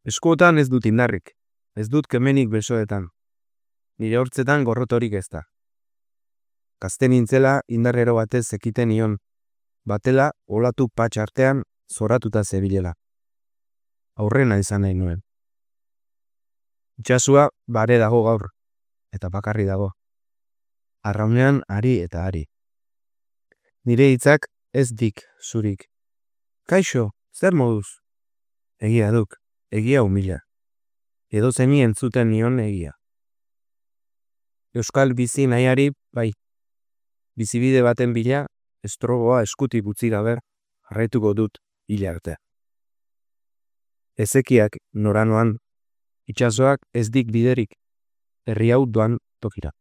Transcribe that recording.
Eskuotan ez dut indarrik, ez dut kemenik besoetan, nire hortzetan gorrotorik ez da. Gazte nintzela indarrero batez zekiten nion, batela olatu patx artean zoratuta zebilela. Aurrena izan nahi nuen. Itxasua bare dago gaur, eta bakarri dago. Arraunean ari eta ari. Nire hitzak ez dik zurik. Kaixo, zer moduz? Egia duk, egia humila. Edo zeni entzuten nion egia. Euskal bizi nahiari, bai. Bizibide baten bila, estrogoa eskutik utzi gabe, jarraituko dut hila arte. Ezekiak noranoan, itsasoak ez dik biderik, herri hau doan tokira.